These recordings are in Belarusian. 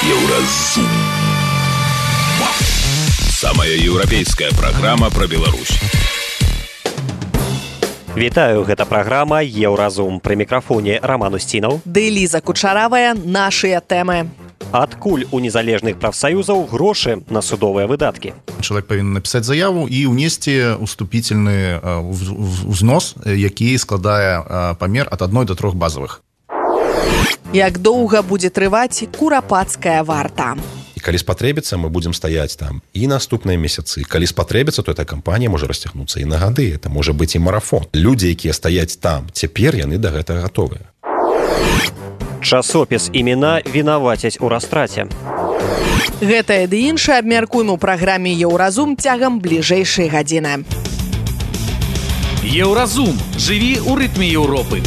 Еўразум. Самая еўрапейская праграма пра Беларусь. Вітаю, гэта праграма «Еўразум». Пры мікрафоне Роман Устінаў. Ды Ліза Кучаравая. Нашыя тэмы. Адкуль у незалежных прафсаюзаў грошы на судовыя выдаткі? Чалавек павінен напісаць заяву і ўнесці уступительны ўзнос, які складае памер ад 1 до 3 базавых. Як доўга будзе трываць курапацкая варта? І калі спатрэбіцца, мы будзем стаяць там і наступныя месяцы. Калі спатрэбіцца, то эта кампанія можа расцягнуцца і на гады. Это можа быць і марафон. Людзі, якія стаяць там, цяпер яны да гэтага гатовыя. Часопіс «Імена» вінавацяць у растраце. Гэтае ды іншае абмяркуем у праграме «Еўразум» цягам бліжэйшай гадзіны. Еўразум. Жыві ў рытме Еўропы.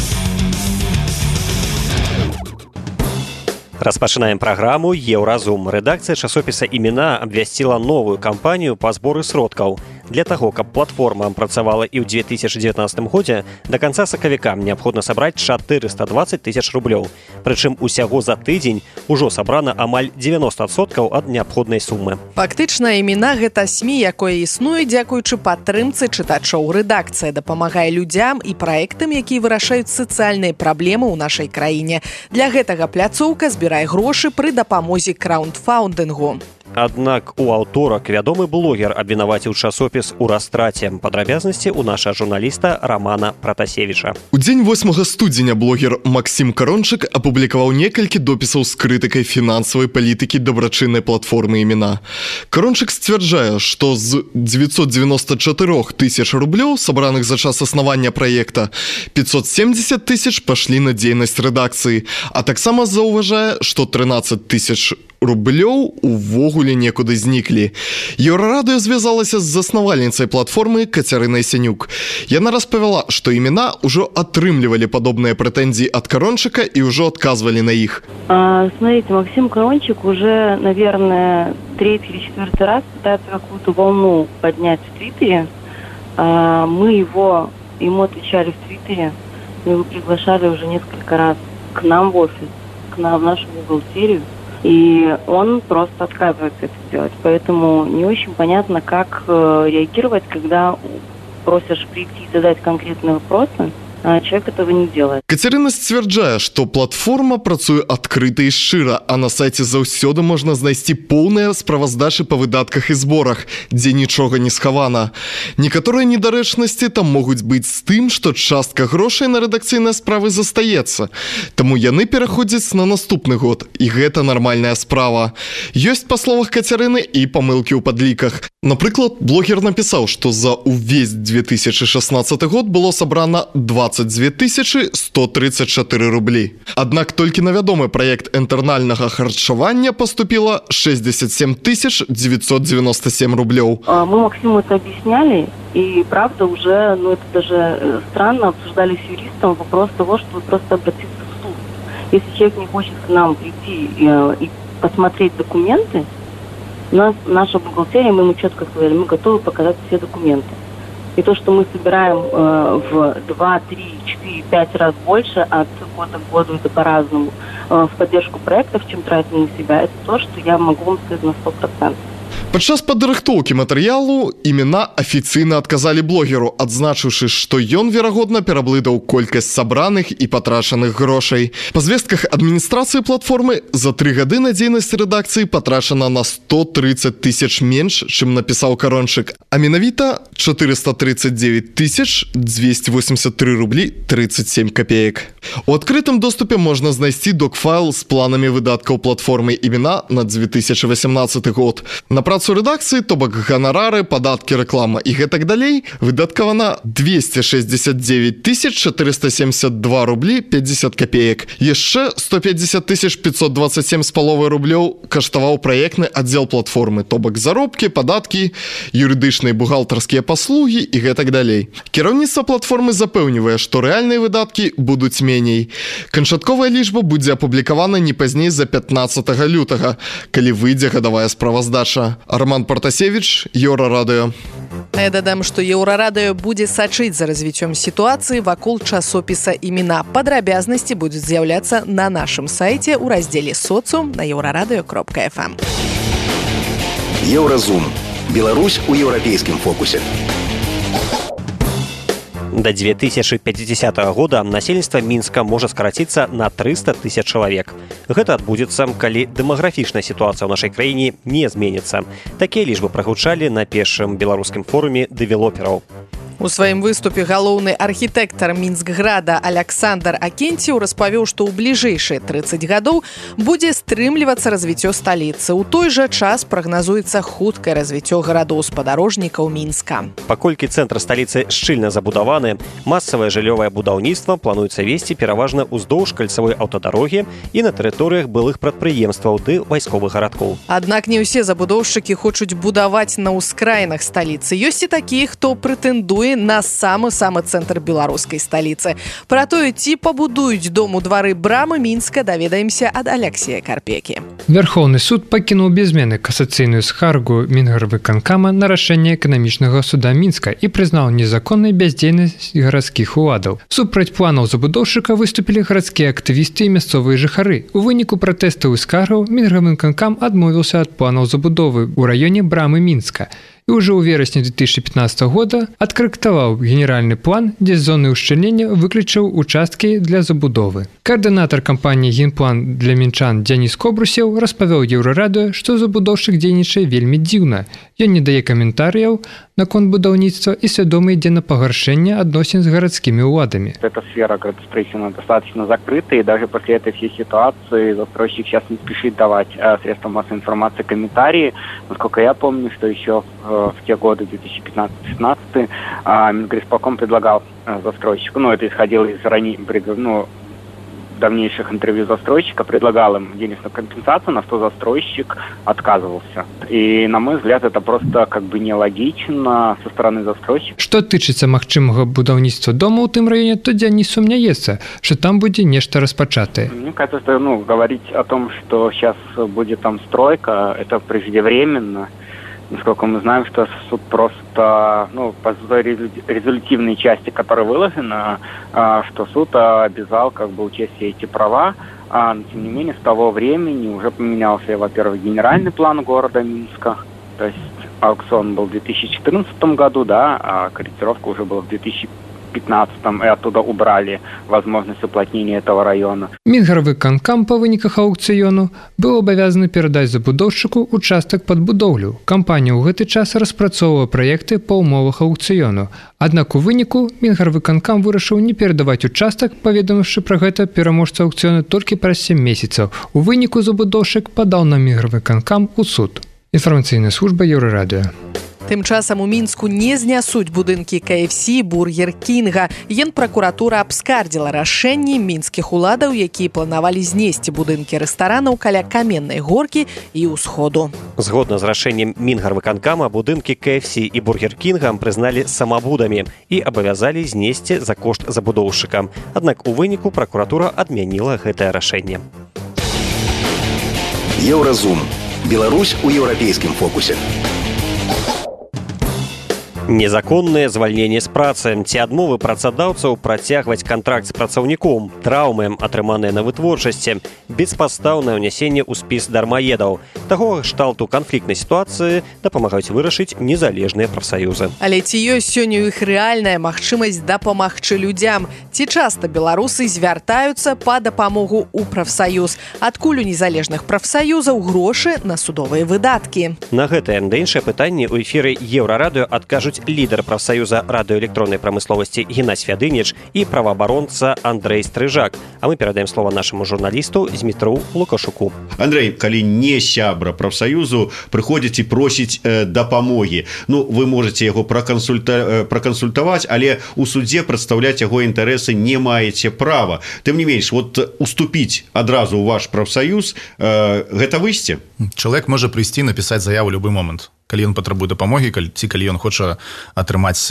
Распачынаем праграму «Еўразум». Рэдакцыя часопіса «Імена» абвясціла новую кампанію па зборы сродкаў. Для таго, каб платформа працавала і ў 2019 годзе, да канца сакавіка неабходна сабраць 420 тысяч рублёў. Прычым усяго за тыдзень ужо сабрана амаль 90% ад неабходнай сумы. Фактычна, «Імена» — гэта СМІ, якое існуе дзякуючы падтрымцы чытачоў. Рэдакцыя дапамагае людзям і праектам, якія вырашаюць сацыяльныя праблемы ў нашай краіне. Для гэтага пляцоўка збірае грошы пры дапамозе краундфаундынгу. Аднак у аўторак вядомы блогер абвінаваціў часопіс у растраце. Падрабязнасці ў наша журналіста Романа Пратасевіча. У дзень 8 студзеня блогер Максім Карончык апублікаваў некалькі допісаў з крытыкай фінансавай палітыкі дабрачыннай платформы «Імена». Карончык сцвярджае, што з 994 тысяч рублёў, сабраных за час аснавання праекта, 570 тысяч пашлі на дзейнасць рэдакцыі, а таксама заўважае, што 13 тысяч рублёў увогуле некуды зніклі. Еўрарадыё звязалася з заснавальніцай платформы Кацярынай Сянюк. Яна распавяла, што «Імена» ўжо атрымлівалі падобныя прэтэнзіі ад Карончыка і ўжо адказвалі на іх. Смотрите, Максим Карончик уже, наверное, 3-й или 4-й раз пытается какую-то волну поднять в Твиттере. Мы ему отвечали в Твиттере, мы его приглашали уже несколько раз к нам в офис, к нам в нашу бухгалтерию. И он просто отказывается это делать. Поэтому не очень понятно, как реагировать, когда просишь прийти и задать конкретные вопросы, а человек этого не делает. Кацярына сцвярджае, што платформа працуе адкрыта і шчыра, а на сайце заўсёды можна знайсці поўныя справаздачы па выдатках і зборах, дзе нічога не схавана. Некаторыя недарэчнасці там могуць быць з тым, што частка грошай на рэдакцыйныя справы застаецца. Таму яны пераходзяць на наступны год, і гэта нармальная справа. Ёсць, па словах Кацярыны, і памылкі ў падліках. Напрыклад, блогер напісаў, што за ўвесь 2016 год было сабрана 22 134 рублі. Аднак толькі на вядомы праект інтэрнальнага харчавання поступила 67 997 рублёў. Мы Максиму это объясняли, и правда уже, это даже странно, обсуждали с юристом вопрос того, что просто обратиться в суд. Если человек не хочет к нам прийти и посмотреть документы, наша бухгалтерия, мы ему четко сказали, мы готовы показать все документы. И то, что мы собираем в 2, 3, 4, 5 раз больше, от года к году это по-разному, в поддержку проектов, чем тратим на себя, это то, что я могу вам сказать на 100%. Падчас падрыхтоўкі матэрыялу «Імена» афіцыйна адказалі блогеру, адзначыўшы, што ён, верагодна, пераблытаў колькасць сабраных і патрачаных грошай. Па звестках адміністрацыі платформы за 3 гады на дзейнасць рэдакцыі патрачана на 130 тысяч менш, чым напісаў Карончык, а менавіта 439 283 рублі 37 копеек. У адкрытым доступе можна знайсці докфайл з планамі выдаткаў платформы «Імена» на 2018 год. На працу рэдакцыі, то бок ганарары, падаткі, рэклама і гэтак далей, выдаткавана 269 472 рублі 50 копеек. Яшчэ 150 527,5 рублёў каштаваў праектны аддзел платформы, то бок заробкі, падаткі, юрыдычныя бухгалтарскія паслугі і гэтак далей. Кіраўніцтва платформы запэўнівае, што рэальныя выдаткі будуць менш меней. Канчатковая лічба будзе апублікавана не пазней за 15 лютага, калі выйдзе гадавая справаздача. Арман Партасевич, Еўрарадыё. Я дадам, што Еўрарадыё будзе сачыць за развіццём сітуацыі вакол часопіса імена. Падрабязнасці будуць з'яўляцца на нашым сайце ў раздзеле «Соцыум» на euraраdio.fm. Еўразум. Беларусь у еўрапейскім фокусе. До 2050 года насельніцтва Мінска можа скараціцца на 300 тысяч чалавек. Гэта адбудзецца, калі дэмаграфічная сітуацыя ў нашай краіне не зменіцца. Такія лічбы прагучалі на першым беларускім форуме дэвелопераў. У сваім выступе галоўны архітэктар Мінскграда Аляксандр Акенціў распавёў, што ў бліжэйшыя 30 гадоў будзе стрымлівацца развіццё сталіцы. У той жа час прагназуецца хуткае развіццё гарадоў-спадарожнікаў Мінска. Паколькі цэнтр сталіцы шчыльна забудаваны, масавае жыллёвае будаўніцтва плануецца весці пераважна ўздоўж кальцавой аўтадарогі і на тэрыторыях былых прадпрыемстваў ды вайсковых гарадкоў. Аднак не ўсе забудоўшчыкі хочуць будаваць на ўскраінах сталіцы. Ёсць і такія, хто прэтэндуе на самы цэнтр беларускай сталіцы. Пра тое, ці пабудуюць дом у двары брамы Мінска, даведаемся ад Аляксея Карпекі. Верховны суд пакінуў без змены касацыйную скаргу Мінгарвыканкама на рашэнне эканамічнага суда Мінска і прызнаў незаконнай бяздзейнасць гарадскіх уладаў. Супраць планаў забудоўшчыка выступілі гарадскія актывісты і мясцовыя жыхары. У выніку пратэстаў і скаргаў Мінгарвыканкам адмовіўся ад планаў забудовы ў раёне брамы Мінска. І ўжо ў верасні 2015 года адкарэктаваў генеральны план, дзе з зоны ўшчыльнення выключыў участкі для забудовы. Каардынатар кампаніі «Генплан» для мінчан Дзяніс Кобрусеў распавёў Еўрарадыё, што забудоўшчык дзейнічае вельмі дзіўна. Ён не дае каментарыяў наконт будаўніцтва і свядома ідзе на пагаршэнне адносін з гарадскімі ўладамі. Эта сфера градостроительства достаточно закрыта, и даже после этой всей ситуации застройщик сейчас не спешит давать средствам массовой информации комментарии. Насколько я помню, что еще в те годы, 2015-2016, Мингрисполком предлагал застройщику, это исходило из давнейших интервью застройщика, предлагал им денежную компенсацию, на что застройщик отказывался. И, на мой взгляд, это просто нелогично со стороны застройщика. Што тычыцца магчымага будаўніцтва дома ў тым раёне, то Дзяніс сумняецца, што там будзе нешта распачатае. Мне кажется, говорить о том, что сейчас будет там стройка, это преждевременно. Насколько мы знаем, что суд просто, по резолютивной части, которая выложена, что суд обязал учесть все эти права, но тем не менее с того времени уже поменялся, во-первых, генеральный план города Минска, то есть аукцион был в 2014 году, а корректировка уже была в 2015, и оттуда убрали возможность уплотнения этого района. Мінгарвыканкам па выніках аукцыёну быў абавязаны перадаць забудоўшчыку участак пад будоўлю. Кампанія ў гэты час распрацоўвае праекты па ўмовах аукцыёну. Аднак у выніку Мінгарвыканкам вырашыў не перадаваць участак, паведаміўшы пра гэта пераможца аукцыёну толькі праз 7 месяцаў. У выніку забудоўшчык падаў на Мінгарвыканкам у суд. Інфармацыйная служба Еўрарадыё. Тым часам у Мінску не знясуць будынкі KFC, Бургер Кінга. Генпракуратура абскардзіла рашэнні мінскіх уладаў, якія планавалі знесці будынкі рэстаранаў каля Каменнай горкі і ўсходу. Згодна з рашэннем Мінгарвыканкама, будынкі KFC і Бургер Кінга прызналі самабудамі і абавязалі знесці за кошт забудоўшчыка. Аднак у выніку пракуратура адмяніла гэтае рашэнне. Еўразум. Беларусь у еўрапейскім фокусе. Незаконнае звальненне з працы ці адмовы працадаўцаў працягваць кантракт з працаўніком, траўмы, атрыманыя на вытворчасці, беспадстаўнае ўнясенне ў спіс дармаедаў. Такога кшталту канфліктнай сітуацыі дапамагаюць вырашыць незалежныя прафсаюзы. Але ці ёсць сёння ў іх рэальная магчымасць дапамагчы людзям? Ці часта беларусы звяртаюцца па дапамогу ў прафсаюз? Адкуль у незалежных прафсаюзаў грошы на судовыя выдаткі? На гэтае да іншае пытанне ў эфіры Еўрарадыё адкажуць лідар прафсаюза радыёэлектроннай прамысловасці Геннадзь Фядыніч і праваабаронца Андрэй Стрыжак. А мы перадаем слова нашаму журналісту Змітру Лукашуку. Андрэй, калі не сябра прафсаюзу прыходзіць і просіць дапамогі, вы можаце яго пракансультаваць, але у судзе прадстаўляць яго інтарэсы не маеце права. Тым не менш, уступіць адразу ў ваш прафсаюз, гэта выйсце? Чалавек можа прыйсці напісаць заяву ў любы момант. калі ён патрабуе дапамогі, калі ён хоча атрымаць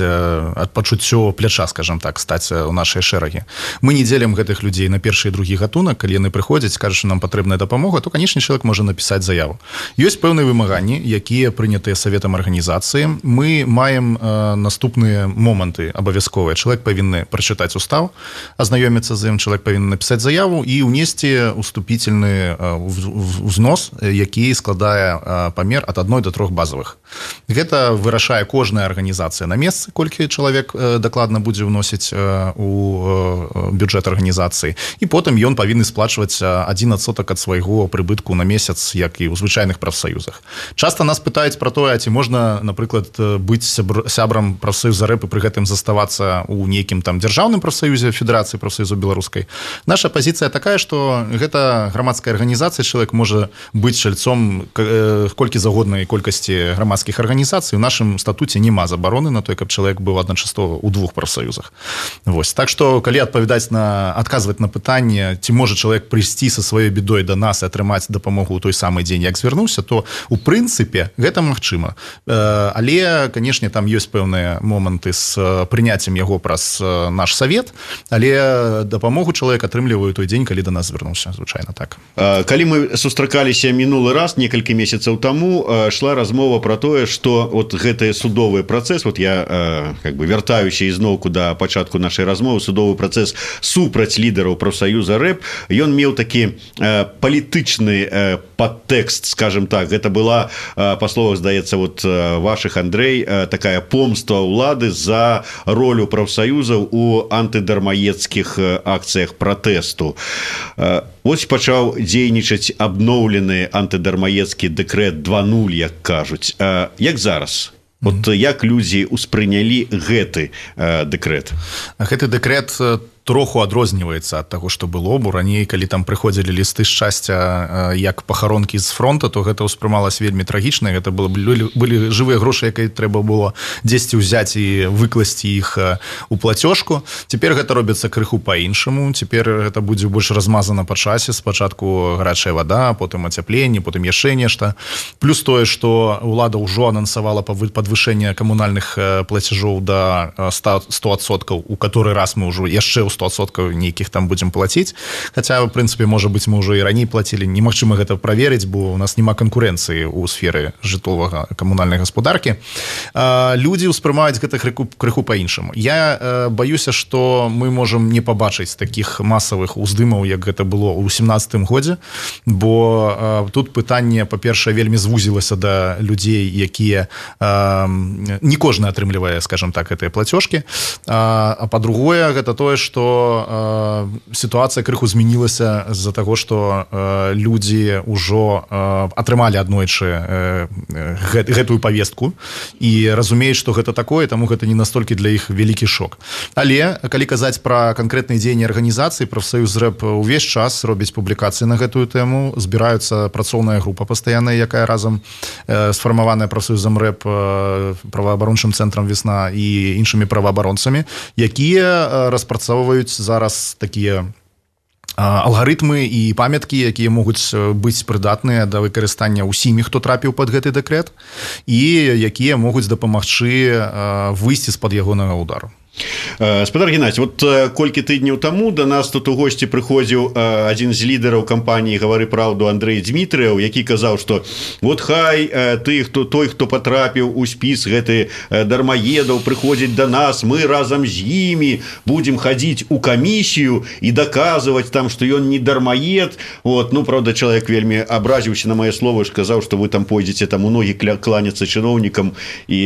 пачуццё пляча, скажем так, стаць у нашай шэрагі. Мы не дзелім гэтых людзей на першы і другі гатунак. Калі яны прыходзяць, кажуць, што нам патрэбная дапамога, то, канечне, чалавек можа напісаць заяву. Ёсць пэўныя вымаганні, якія прынятыя саветам арганізацыі. Мы маем наступныя моманты абавязковыя. Чалавек павінны прачытаць устав, азнаёміцца з ім, чалавек павінен напісаць заяву і ўнесці уступительны узнос, які складае памер ад 1 до 3 базовых. Гэта вырашае кожная арганізацыя на месцы, колькі чалавек дакладна будзе вносіць у бюджэт арганізацыі. І потым ён павінны сплачваць 1% ад свайго прыбытку на месяц, як і ў звычайных прафсаюзах. Часта нас пытаюць пра тое, ці можна, напрыклад, быць сябрам прафсаюза рэп і пры гэтым заставацца ў нейкім там дзяржаўным прафсаюзе, федэрацыі прафсаюзаў беларускай. Наша пазіцыя такая, што гэта грамадская арганізацыя, чалавек можа быць чальцом колькі загоднай колькасці грамадскіх арганізацый. У нашым статуце няма забароны на той, каб чалавек быў адначасова ў 2 прафсаюзах. Вось. Так што, калі адказваць на пытанне, ці можа чалавек прыйсці са сваёй бедой да нас і атрымаць дапамогу ў той самы дзень, як звярнуўся, то у прынцыпе гэта магчыма. Але, канешне, там ёсць пэўныя моманты з прыняццем яго праз наш савет, але дапамогу чалавек атрымлівае той дзень, калі да нас звярнуўся, звычайна так. Калі мы сустракаліся мінулы раз, некалькі месяцаў таму, шла размова пра тое, што вот гэты судовы працэс, вот я как бы вяртаюся ізноўку да пачатку нашай размовы, судовы працэс супраць лідараў прафсаюза рэп, ён меў такі палітычны падтэкст, скажем так. Гэта была, па словах, здаецца, вот вашых, Андрэй, такая помста ўлады за ролю прафсаюзаў у антыдармаедскіх акцыях пратэсту. Вось пачаў дзейнічаць абноўлены антыдармаедскі дэкрэт 2.0, як кажуць. Як зараз? Вот як людзі ўспрынялі гэты дэкрэт? Гэты дэкрэт троху адрозніваецца ад таго, што было, бо раней, калі там прыходзілі лісты шчасця як пахаронкі з фронта, то гэта ўспрымалася вельмі трагічна. Гэта былі жывыя грошы, якія трэба было дзесьці ўзяць і выкласці іх у плацёжку. Цяпер гэта робіцца крыху па-іншаму. Цяпер гэта будзе больш размазана па часе. Спачатку гарачая вада, потым ацяпленне, потым яшчэ нешта. Плюс тое, што ўлада ўжо анансавала падвышэнне камунальных плацяжоў да 100%, у каторы раз мы ўжо яшчэ 100% нейкіх там будзем плаціць. Хаця, в прынцыпе, можа быць, мы ўжо і раней плацілі. Немагчыма гэта праверыць, бо у нас няма канкурэнцыі ў сферы жытловага камунальнай гаспадаркі. Людзі ўспрымаюць гэта крыху па-іншаму. Я баюся, што мы можам не пабачыць такіх масавых уздымаў, як гэта было ў 17-м годзе, бо тут пытанне, па-першае, вельмі звузілася да людзей, якія не кожны атрымлівае, скажем так, гэтыя плацёжкі. А па-другое, гэта тое, што сітуацыя крыху змянілася з-за таго, што людзі ўжо атрымалі аднойчы гэтую павестку і разумеюць, што гэта такое, таму гэта не настолькі для іх вялікі шок. Але, калі казаць пра канкрэтныя дзеянні арганізацыі, прафсаюз рэп увесь час робіць публікацыі на гэтую тэму, збіраюцца працоўная група пастаянная, якая разам сфармаваная прафсаюзам рэп, праваабарончым цэнтрам «Весна» і іншымі праваабаронцамі, якія распрацоўваюць зараз такія алгарытмы і памяткі, якія могуць быць прыдатныя да выкарыстання ўсімі, хто трапіў пад гэты дэкрэт, і якія могуць дапамагчы выйсці з-пад ягонага ўдару. Спадар Геннадзій, вот колькі тыдняў таму да нас тут у госці прыходзіў адзін з лідараў кампаніі «Гавары праўду» Андрэй Дзмітрыяў, які казаў, што вот хай той, хто патрапіў у спіс гэты дармаедаў, прыходзіць да нас, мы разам з імі будзем хадзіць у камісію і даказваць там, што ён не дармаед. Вот. Ну, правда, чалавек вельмі абразіўся на мае словы, сказаў, што вы там пойдзеце там у ногі кланяцца чыноўнікам і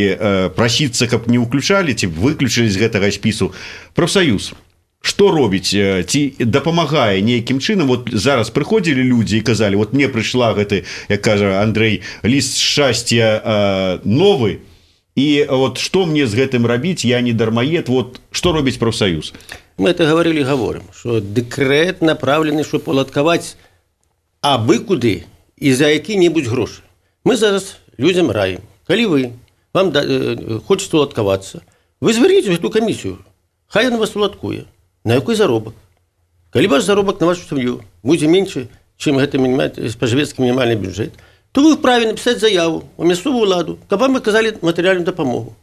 прасіцца, каб не ўключалі, ці выключылі з гэтага спісу. Прафсаюз што робіць, ці дапамагае нейкім чынам? Вот зараз прыходзілі людзі і казалі, вот мне прыйшла гэты, як кажа Андрэй, ліст шчасця новы, і вот што мне з гэтым рабіць, я не дармаед, вот што робіць прафсаюз? Мы это говорили, говорим, что дэкрэт направлены, чтобы уладкаваць абы куды і за які-небудзь грошы. Мы зараз людзям раім, калі вам хочется уладкавацца, вы звярніце гэту камісію, хай яна вас уладкуе. На якой заробак? Калі ваш заробак на вашу сям'ю будзе меншы, чым гэты спажывецкі мінімальны бюджэт, то вы вправе написаць заяву ў мясцовую ўладу, каб вам аказалі матэрыяльную дапамогу.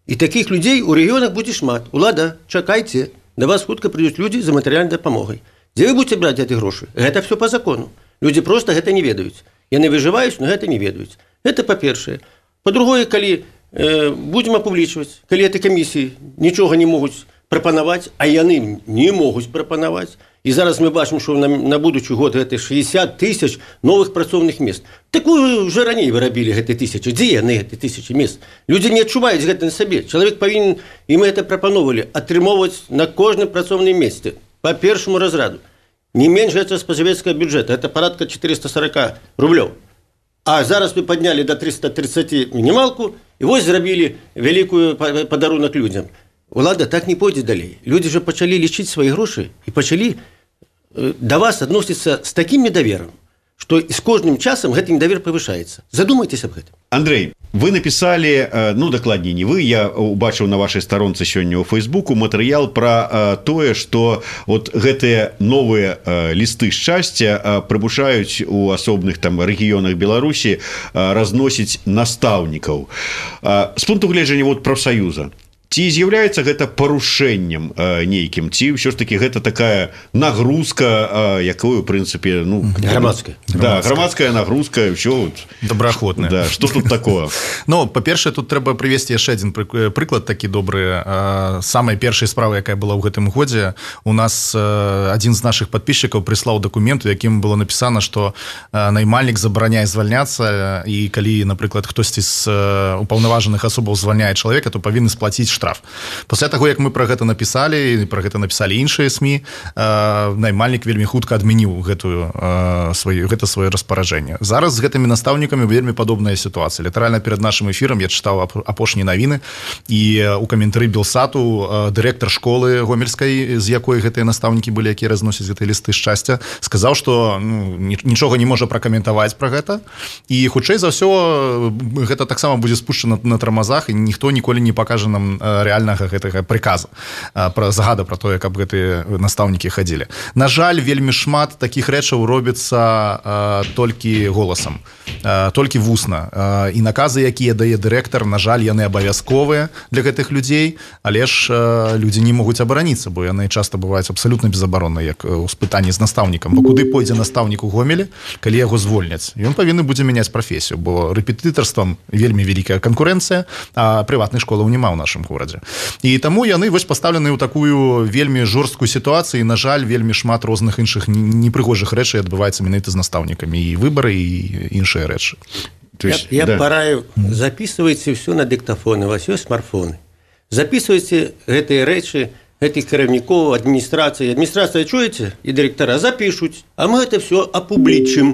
І такіх людзей у рэгіёнах будзе шмат. Улада, чакайце, да вас хутка прыйдуць людзі за матэрыяльнай дапамогай. Дзе вы будзеце браць гэты грошы? Гэта все по закону. Людзі проста гэта не ведаюць. Яны выжываюць, но гэта не ведаюць. Гэта па-першае. Па-другое, калі будзем апублічваць, калі этой камісіі нічога не могуць прапанаваць, а яны не могуць прапанаваць. І зараз мы бачым, што на будучы год гэта 60 тысяч новых працоўных мест. Такую вже раней вы рабілі гэты тысячы. Дзе яны гэты тысячы мест? Людзі не адчуваюць гэта на сабе. Чалавек павінен, і мы гэта прапановвалі, атрымоўваць на кожным працоўным месцы по першаму разраду. Не менш гэта спажывецкага бюджэта. Это парадка 440 рублёў. А зараз вы паднялі до 330 мінімалку, і вось зрабілі вялікую падарунак людзям. Улада так не пойдзе далей. Людзі же пачалі лічыць свае грошы і пачалі да вас адносіцца з такім недаверам, што з кожным часам гэты недавер павышаецца. Задумайтесь аб гэтым. Андрей, вы написали, ну, дакладней не вы, я убачыў на вашай старонцы сёння ў Фейсбуку матэрыял пра тое, што вот гэтыя новыя лісты шчасця прымушаюць у асобных там рэгіёнах Беларусі разносіць настаўнікаў. З пункту гледжання вот прафсаюза, ці з'яўляецца гэта парушэннем нейкім, ці ўсё ж такі гэта такая нагрузка, якую, в прынцыпе, ну... Грамадская. Да, грамадская нагрузка, ўсё... Добраахвотная. Да, што тут такое? Ну, па-першае, тут трэба прывесці яшчэ адзін прыклад такі добры. Самай першай справы, якая была ў гэтым годзе, у нас адзін з нашых падпісчыкаў прыслаў дакумент, у якім было напісана, што наймальнік забараняе звальняцца, і калі, напрыклад, хтосьці з упаўнаважаных асобаў звальняе чалавека, то павінны сплаціць штраф. Пасля таго, як мы пра гэта напісалі, пра гэта напісалі іншыя СМІ, наймальнік вельмі хутка адмяніў гэта сваё распараджэнне. Зараз з гэтымі настаўнікамі вельмі падобная сітуацыя. Літаральна перад нашым эфірам я чытаў апошнія навіны, і у каментары Белсату дырэктар школы гомельскай, з якой гэтыя настаўнікі былі, якія разносяць гэтыя лісты шчасця, сказаў, што нічога не можа пракаментаваць пра гэта, і хутчэй за ўсё гэта таксама будзе спушчана на тармазах, і ніхто ніколі не пакажа нам рэальнага гэтага прыказа, пра загада пра тое, каб гэтыя настаўнікі хадзілі. На жаль, вельмі шмат такіх рэчаў робіцца толькі голасам, толькі вусна. І наказы, якія дае дырэктар, на жаль, яны абавязковыя для гэтых людзей, але ж людзі не могуць абараніцца, бо яны часта бываюць абсалютна безабаронныя, як у спытанні з настаўнікам. Бо куды пойдзе настаўнік у Гомелі, калі яго звольняць? Ён павінны будзе мяняць прафесію, бо рэпетытарствам вельмі вялікая канкурэнцыя, а прыватных школаў няма ў нашым горадзе. І таму яны вось пастаўлены ў такую вельмі жорсткую сітуацыю, і, на жаль, вельмі шмат розных іншых непрыгожых рэчай адбываецца менавіта з настаўнікамі, і выбары, і іншыя рэчы. Я параю, записывайте все на диктофоны, у вас есть смартфоны. Записывайте гэтыя рэчы, гэтых кіраўнікоў, адміністрацыі. Адміністрацыя, чуеце? І дырэктара запишуць, а мы гэта все апублічым.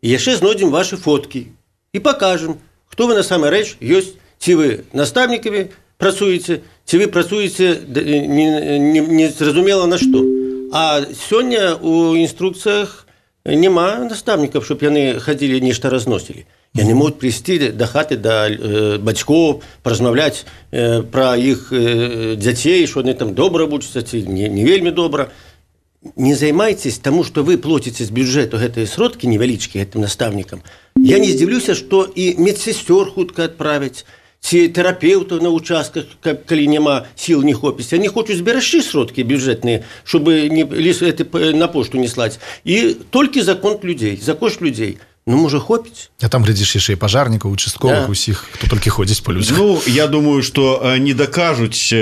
І яшчэ знойдзем ваши фоткі і пакажем, хто вы на самай рэч ёсць, ці вы настаўнікамі працуеце, ці вы працуеце не зразумела на што. А сёння у інструкцыях няма настаўнікаў, щоб яны хадзілі нешта разносілі. Яны могуць прыйсці да хаты, да бацькоў, паразмаўляць пра іх дзяцей, што яны там добра вучацца, ці не вельмі добра. Не займайтесь тому, што вы плоціце з бюджэту гэтыя сродкі невялічкія гэтым настаўнікам. Я не здзіўлюся, што і медсестёр хутка адправяць, ці тэрапеўтаў на участках, калі няма сіл, не хопіць. Яны хочуць зберагчы сродкі бюджэтныя, щоб на пошту не слаць. І толькі за конт людзей, за кошт людзей. Ну, можа, хопіць. А там, глядзіш, яшчэ і пажарнікаў, участковых, усіх, хто толькі ходзіць па людзях. Ну, я думаю, што не дакажуць,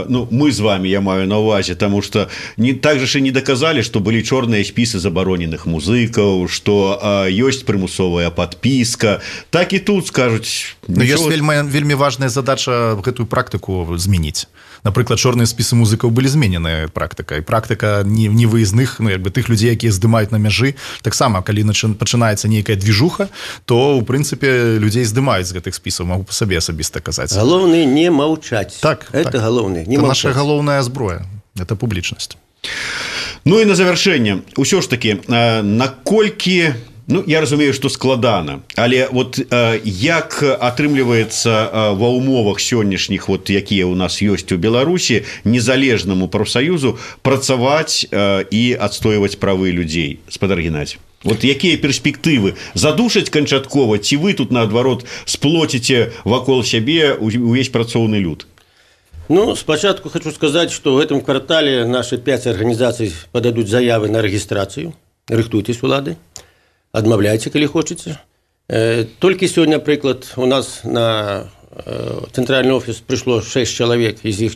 ну, мы з вами, я маю на ўвазе, таму што так же і не даказалі, што былі чорныя спісы забароненых музыкаў, што ёсць прымусовая падпіска. Так і тут скажуць... Ну, ёсць вельмі важная задача гэтую практыку змяніць. Напрыклад, чорныя спісы музыкаў былі змененыя практыкай. Практыка невыязных, ну, як бы тых людзей, якія здымаюць на мяжы. Таксама, калі пачынаецца нейкая движуха, то, у прынцыпе, людзей здымаюць з гэтых спісаў, магу па сабе асабіста казаць. Галоўнае не маўчаць. Так, это галоўнае, не маўчаць. Это наша галоўная зброя, это публічнасць. Ну і на завяршэнне, усё ж такі, наколькі... Ну, я разумею, што складана, але вот як атрымліваецца ва ўмовах сённяшніх, вот, якія ў нас ёсць у Беларусі, незалежнаму прафсаюзу працаваць і адстойваць правы людзей? Спадар Геннадзій. Вот якія перспектывы задушаць канчаткова, ці вы тут наадварот сплоціце вакол сябе увесь працоўны люд? Ну, спочатку хочу сказать, что в этом квартале наши 5 организаций подадут заявы на регистрацию. Рыхтуйтесь, улады, отмовляйте, коли хочете. Только сегодня, например, у нас на центральный офис пришло 6 человек, из них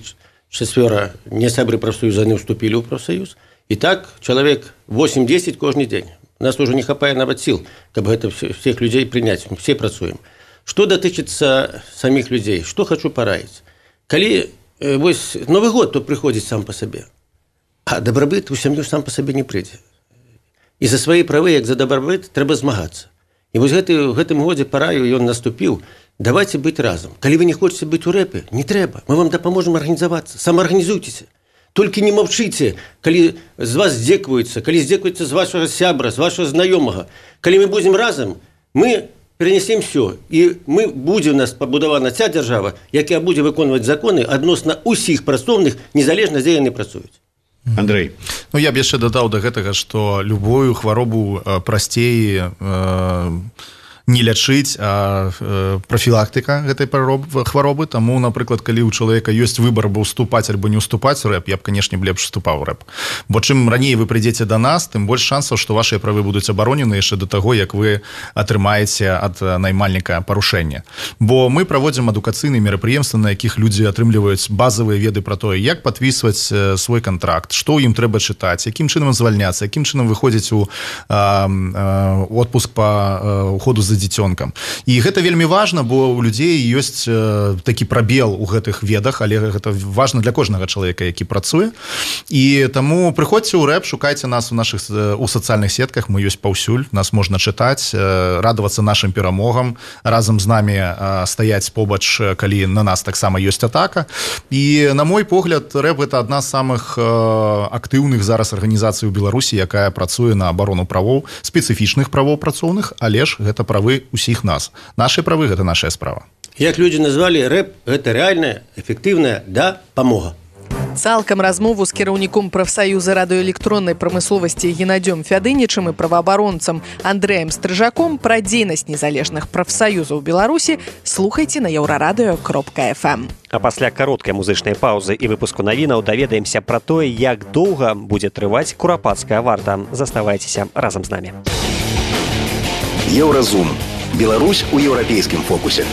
4 не сябры профсоюза, не вступили в профсоюз. И так человек 8-10 каждый день. У нас уже не хватает нават сил, чтобы это всех людей принять. Мы все працуем. Что дотычется самих людей? Что хочу пораить? Коли Новый год, то приходит сам по себе. А добробыт у сям'ю сам по себе не прийде. І за свої прави, як за добробыт, треба змагатися. І ось в гэтым годзе параю, і он наступіў, давайте быць разом. Калі вы не хочете быць у рэпе, не трэба. Мы вам дапаможем арганізавацца. Самаарганізуйцеся. Толькі не маўчыце, калі з вас здзекваюцца, калі здзекваюцца з вашага сябра, з вашага знаёмага. Калі мы будзем разом, мы перенесем все. І мы будзе у нас пабудавана ця дзяржава, якая будзе выконваць законы адносна ўсіх працоўных, незалежна дзе яны працуюць. Андрей. Ну, я б яшчэ дадаў да гэтага, што любую хваробу прасцей не лячыць, а профілактыка гэтай хваробы. Таму, напрыклад, калі ў чалавека ёсць выбар або ўступаць альбо не ўступаць у рэп, я б, канешне, лепш уступаў рэп. Бо чым раней вы прыйдзеце да нас, тым больш шансаў, што вашыя правы будуць абаронены яшчэ да таго, як вы атрымаеце ад наймальніка парушэння. Бо мы праводзім адукацыйныя мерапрыемствы, на якіх людзі атрымліваюць базавыя веды пра тое, як падпісваць свой кантракт, што ім трэба чытаць, якім чынам звальняцца, якім чынам выходзіць у отпуск па уходу за дзіцёнкам. І гэта вельмі важна, бо у людзей ёсць такі прабел у гэтых ведах, але гэта важна для кожнага чалавека, які працуе. І таму прыходзьце ў рэп, шукайце нас у сацыяльных сетках, мы ёсць паўсюль, нас можна чытаць, радавацца нашым перамогам, разам з намі стаяць побач, калі на нас таксама ёсць атака. І, на мой погляд, рэп гэта адна з самых актыўных зараз арганізацый у Беларусі, якая працуе на абарону правоў, спецыфічных правоў працоўных, але ж гэта правы усіх нас. Нашы правы – гэта нашая справа. Як людзі назвалі, рэп – гэта рэальная, эфектыўная дапамога. Цалкам размову з кіраўніком прафсаюза радыёэлектроннай прамысловасці Геннадзём Фядынічым і праваабаронцам Андрэем Стрыжаком пра дзейнасць незалежных прафсаюзаў Беларусі слухайце на еўрарадыё.фм. А пасля кароткай музычнай паўзы і выпуску навінаў даведаемся пра тое, як доўга будзе трываць курапацкая варта. Заставайцеся разам з намі. Еўразум. Беларусь у еўрапейскім фокусе.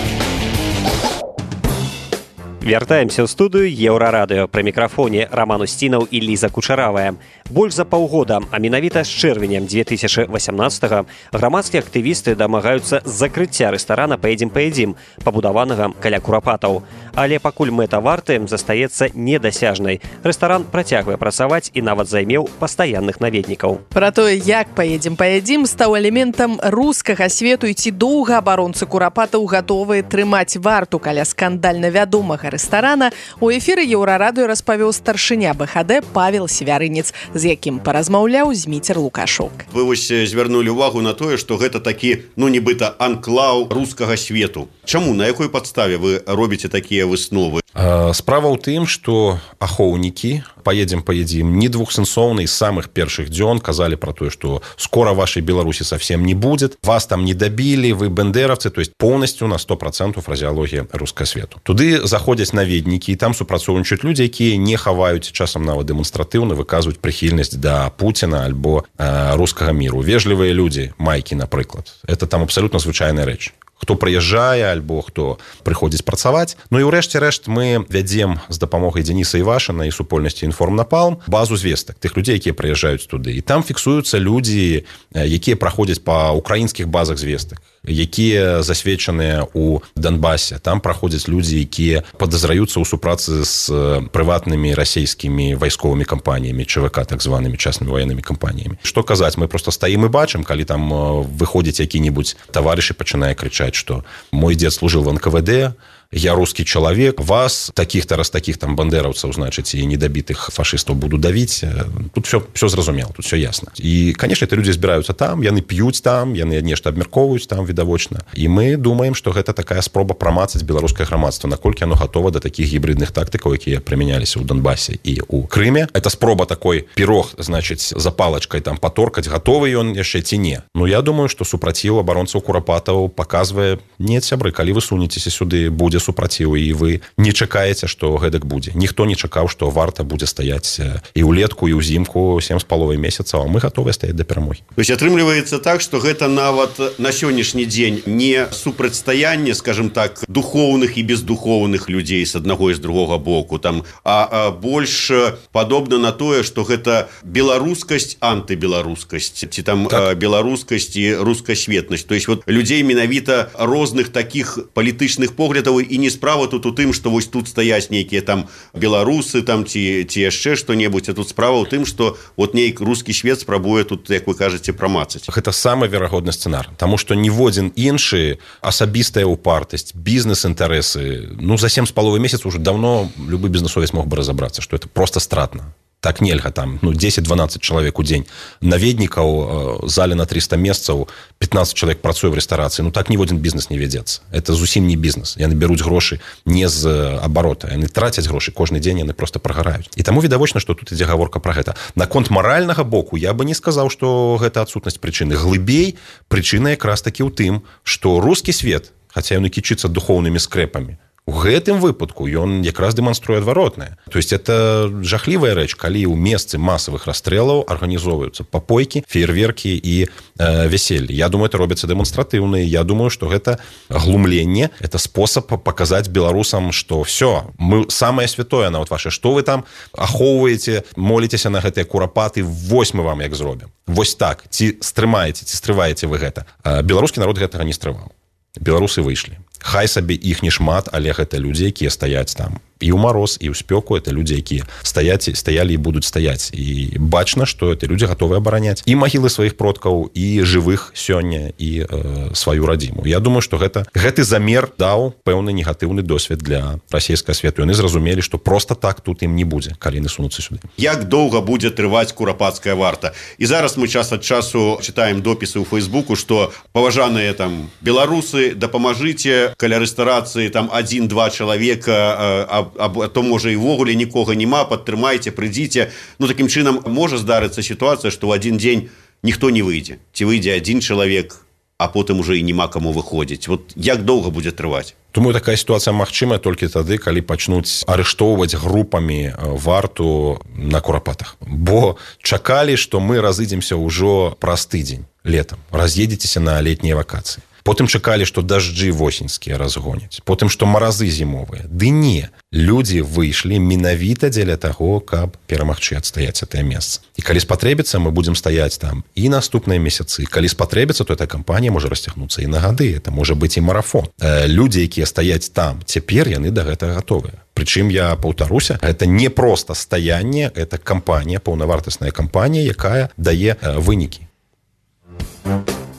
Вяртаемся ў студыю Еўрарадыё. Пры мікрафоне Раман Усцінаў і Ліза Кучаравая. Больш за паўгода, а менавіта з чэрвенем 2018-го, грамадскія актывісты дамагаюцца закрыцця рэстарана «Паедзім-паедзім», пабудаванага каля курапатаў. Але пакуль мэта варты застаецца недасяжнай. Рэстаран працягвае працаваць і нават займеў пастаянных наведнікаў. Пра тое, як «Паедзім-паедзім» стаў элементам рускага свету і ці доўга абаронцы курапатаў гатовыя трымаць варту каля скандальна вядомага рэстарана, у эфіры Еўрарадыё распавёў старшыня БХД Павел Севярынец, з якім паразмаўляў Зміцер Лукашук. Вы вось звярнулі ўвагу на тое, што гэта такі, нібыта анклаў рускага свету. Чаму, на якой падставе вы робіце такія высновы? Справа ў тым, што ахоўнікі «Паедзім-паедзім» недвухсэнсоўна з самых першых дзён казалі пра тое, што скора вашай Беларусі совсем не будет, вас там не добили, вы бендеровцы, то есть полностью на 100% фразеологія рускага свету. Туды заходзяць наведнікі, і там супрацоўнічаюць людзі, якія не хаваюць, часам нават дэманстратыўна выказваюць прыхільнасць да Пуціна альбо рускага міру. Вежлівыя людзі, майкі, напрыклад. Это там абсолютно звычайная рэч. Хто прыязджае альбо хто прыходзіць працаваць. Ну і ўрэшце рэшт мы вядзем з дапамогай Дзеніса Івашына і супольнасці «Інформнапалм» базу звестак тых людзей, якія прыязджаюць туды. І там фіксуюцца людзі, якія праходзяць па украінскіх базах звестак, якія засведчаныя ў Донбасе. Там праходзяць людзі, якія падазраюцца ў супрацы з прыватнымі расійскімі вайсковымі кампаніямі, ЧВК, так званымі частнымі ваеннымі кампаніямі. Што казаць, мы проста стаім і бачым, калі там выходзіць які-небудзь таварыш і пачынае крычаць, што мой дзед служыў в НКВД, я русский человек, вас, таких-то раз таких там бандераўцаў, значыць, і недабітых фашыстаў буду давіць. Тут все зразумела, тут все ясно. І, конечно, это люди збіраюцца там, яны п'юць там, яны нешта абмяркоўваюць там відавочна. І мы думаем, што гэта такая спроба прамацаць беларускае грамадства, наколькі оно готово да такіх гібридных тактыкаў, якія прымяняліся ў Донбасе і ў Крыме. Это спроба такой пирог, значыць, за палачкай там паторкаць, готовы ён яшчэ ці не. Ну, я думаю, што супраціў абаронцаў Курапатаў паказвае, не, сябры, калі вы сунецеся сюды, будзе супраціў, і вы не чакаеце, што гэтак будзе. Ніхто не чакаў, што варта будзе стаяць і ўлетку, і ўзімку 7,5 месяцаў, а мы готовы стаяць да перамогі. То есть атрымліваецца так, што гэта нават на сённяшні дзень не супрацьстаянне, скажем так, духоўных і бездухоўных людзей з аднаго і з другога боку, там, а больш падобна на тое, што гэта беларускасць, антыбеларускасць, ці там так. Беларускасць і рускасветнасць. То есть вот людзей менавіта розных такіх палітычных поглядаў, і не справа тут у тым, што вось тут стаяць нейкія там беларусы там ці яшчэ што-небудзь, а тут справа ў тым, што вот нейк рускі свет спрабуе тут, як вы кажаце, прамацаць. Гэта самы верагодны сцэнар, таму што ніводзін іншы асабістая упартасць, бізнес-інтарэсы, ну за 7,5 месяцаў уже давно любы бізнесовец мог бы разабрацца, што это просто стратна. Так нельга там, 10-12 чалавек у дзень. Наведнікаў зале на 300 месцаў, 15 чалавек працуе в рэстарацыі. Так ніводзін бізнес не вядзецца. Это зусім не бізнес. Яны бяруць грошы не з абарота. Яны трацяць грошы кожны дзень, яны просто прагараюць. І таму відавочна, што тут ідзе гаворка пра гэта. Наконт маральнага боку я бы не сказаў, што гэта адсутнасць прычыны. Глыбей прычына якраз такі ў тым, што рускі свет, хаця ён і кічыцца духоўнымі скрэпамі, у гэтым выпадку ён якраз дэманструе адваротнае. То есть это жахлівая рэч, калі ў месцы масавых расстрэлаў арганізоўваюцца папойкі, феерверкі і вяселлі. Я думаю, это робіцца дэманстратыўна. Я думаю, што гэта глумленне, это спосаб паказаць беларусам, што все, мы самае святое нават ваше, што вы там ахоўваеце, моліцеся на гэтыя курапаты, вось мы вам як зробім. Вось так, ці стрымаеце, ці стрываеце вы гэта. Беларускі народ гэтага не стрываў. Беларусы выйшлі. Хай сабе іх не шмат, але гэта людзі, якія стаяць там і ў мароз, і ў спёку. Это людзі, якія стаялі і будуць стаяць. І бачна, што это людзі гатовы абараняць і магілы сваіх продкаў, і жывых сёння, і сваю радзіму. Я думаю, што гэты замер даў пэўны негатыўны досвед для расійскага свету. Яны зразумелі, што проста так тут ім не будзе, калі яны сунуцца сюды. Як доўга будзе трываць курапацкая варта? І зараз мы час ад часу чытаем допісы ў Фейсбуку, што паважаныя там беларусы, дапамажыце, каля рэстарацыі там 1-2 чалавека, а то можа і ввогуле нікога няма, падтрымайце, прыйдзіце. Ну такім чынам можа здарыцца сітуацыя, што ў адзін дзень ніхто не выйдзе. Ці выйдзе адзін чалавек, а потым уже і няма каму выходзіць. Вот як доўга будзе трываць? Думаю, такая сітуацыя магчымая толькі тады, калі пачнуць арыштоўваць групамі варту на курапатах. Бо чакалі, што мы разыдземся ўжо праз тыдзень летам. Раз'едзецеся на летнія вакацыі. Потым чакалі, што дажджы восеньскія разгоняць. Потым, што маразы зімовыя. Ды не. Людзі выйшлі менавіта дзеля таго, каб перамагчы адстаяць гэтае месца. І калі спатрэбіцца, мы будзем стаяць там і наступныя месяцы. Калі спатрэбіцца, то эта кампанія можа расцягнуцца і на гады. Это можа быць і марафон. Людзі, якія стаяць там, цяпер яны да гэтага гатовыя. Прычым, я паўтаруся, гэта не проста стаянне, это кампанія, паўнавартасная кампанія, якая дае вынікі.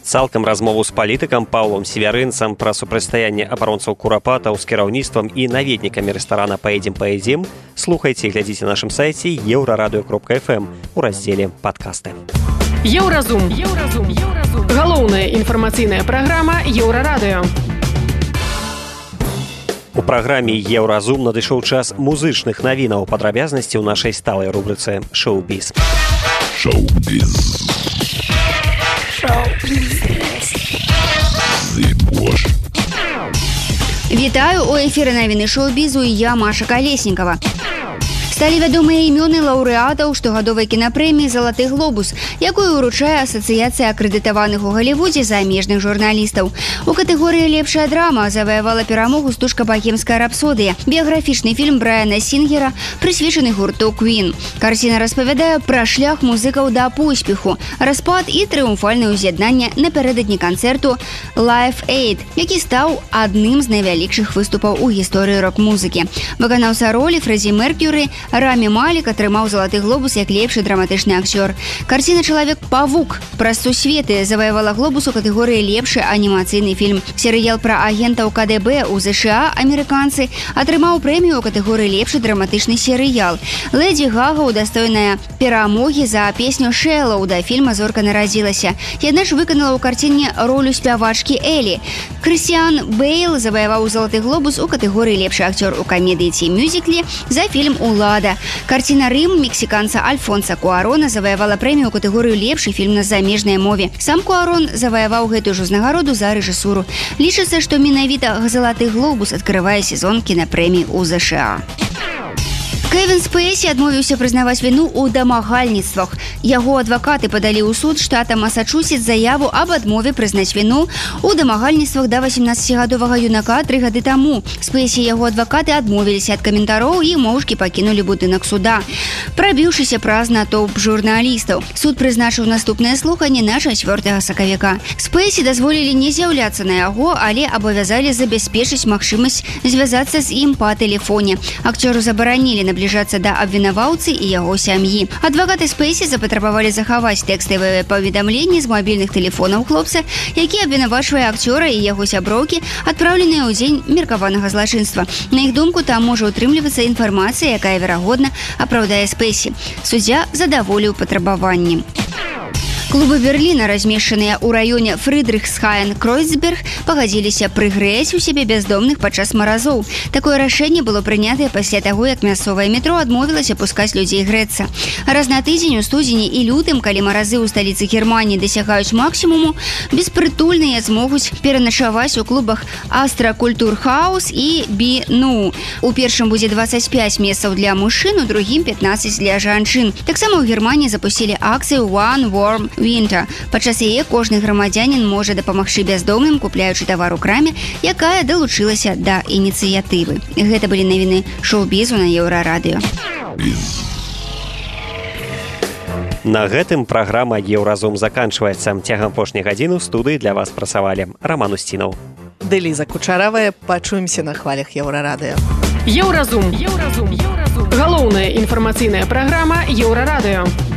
Цалкам размову з палітыкам Паўлом Севярынцам пра супрацьстаянне абаронцаў курапатаў з кіраўніцтвам і наведнікамі рэстарана «Паедзем» слухайце і глядзіце на нашым сайце еўрарадыё.фм у раздзеле «Падкасты». Еўразум. Галоўная інфармацыйная праграма Еўрарадыё. У праграме «Еўразум» надышоў час музычных навінаў, падрабязнасці ў нашай сталай рубрыцы «Шоу-біз». Вітаю, у эфіры навіны шоу-бізу і я, Маша Калеснікава. Сталі вядомыя імёны лаўрэатаў штогадовай кінапрэміі «Залаты глобус», якую ўручае Асацыяцыя акрэдытаваных у Галівудзе замежных журналістаў. У катэгорыі «Лепшая драма» заваявала перамогу стужка «Богемская рапсодыя», біяграфічны фільм Брайана Сінгера, прысвечаны гурту «Квін». Карціна распавядае пра шлях музыкаў да поспеху, распад і трыумфальнае ўз'яднанне напярэдадні канцэрту «Live Aid», які стаў адным з найвялікшых выступаў у гісторыі рок-музыкі. Выканаўца ролі Фрэдзі Меркьюры Рамі Малік атрымаў залаты глобус як лепшы драматычны акцёр. Карціна «Чалавек-павук» праз сусветы заваявала глобус у катэгорыі лепшы анімацыйны фільм. Серыял пра агентаў КДБ у ЗША «Амерыканцы» атрымаў прэмію ў катэгорыі лепшы драматычны серыял. Лэдзі Гага удастойная перамогі за песню «Шэллоу» да фільма «Зорка нарадзілася». Яна ж выканала ў карціне ролю спявачкі Элі. Крысціан Бэйл заваяваў залаты глобус у катэгорыі лепшы акцёр у камедыі ці мюзікле за фільм «Улада». Карціна «Рым» мексіканца Альфонса Куарона заваявала прэмію ў катэгорыю лепшы фільм на замежнай мове. Сам Куарон заваяваў гэтую ж узнагароду за рэжысуру. Лічыцца, што менавіта залаты глобус адкрывае сезон кінапрэмій у ЗША. Кевін Спейсі адмовіўся прызнаваць віну ў дамагальніцтвах. Яго адвакаты падалі ў суд штата Масачусетс заяву аб адмове прызнаць віну ў дамагальніцтвах да 18гадовага юнака 3 гады таму. Спейсі і яго адвакаты адмовіліся ад каментароў і моўчкі пакінулі будынак суда, прабіўшыся праз натоўп журналістаў. Суд прызначыў наступнае слуханне на 4 сакавіка. Спейсі дазволілі не з'яўляцца на яго, але абавязалі забяспечыць магчымасць звязацца з ім па тэлефоне. Акцёру забаранілі набліжацца да абвінаваўцы і яго сям'і. Адвакаты Спейсі запатрабавалі захаваць тэкставыя паведамленні з мабільных тэлефонаў хлопца, які абвінавачвае акцёра і яго сяброўкі, адпраўленыя ў дзень меркаванага злачынства. На іх думку, там можа ўтрымлівацца інфармацыя, якая, верагодна, апраўдае Спейсі. Суддзя задаволіў патрабаванні. Клубы Берліна, размешчаныя ў раёне Фрыдрыхсхаен-Кройцберг, пагадзіліся прыгрэць у сябе бяздомных падчас маразоў. Такое рашэнне было прынятае пасля таго, як мясцовае метро адмовілася пускаць людзей грэцца. Раз на тыдзень у студзені і лютым, калі маразы ў сталіцы Германіі дасягаюць максімуму, беспрытульныя змогуць пераначаваць у клубах Астра Культурхаус і Би-Ну. У першым будзе 25 месцаў для мужчын, у другім 15 для жанчын. Таксама ў Германіі запусцілі акцыю One Warm Winter. Падчас яе кожны грамадзянін можа дапамагчы бяздомным, купляючы тавар у краме, якая далучылася да ініцыятывы. Гэта былі навіны шоу-бізу на Еўрарадыё. На гэтым праграма «Еўразум» заканчваецца. Цягам апошняй гадзіны ў студыі для вас працавалі Раман Усцінаў. Дэліза Кучаравая. Пачуемся на хвалях Еўрарадыё. Еўразум. Галоўная інфармацыйная праграма Еўрарадыё.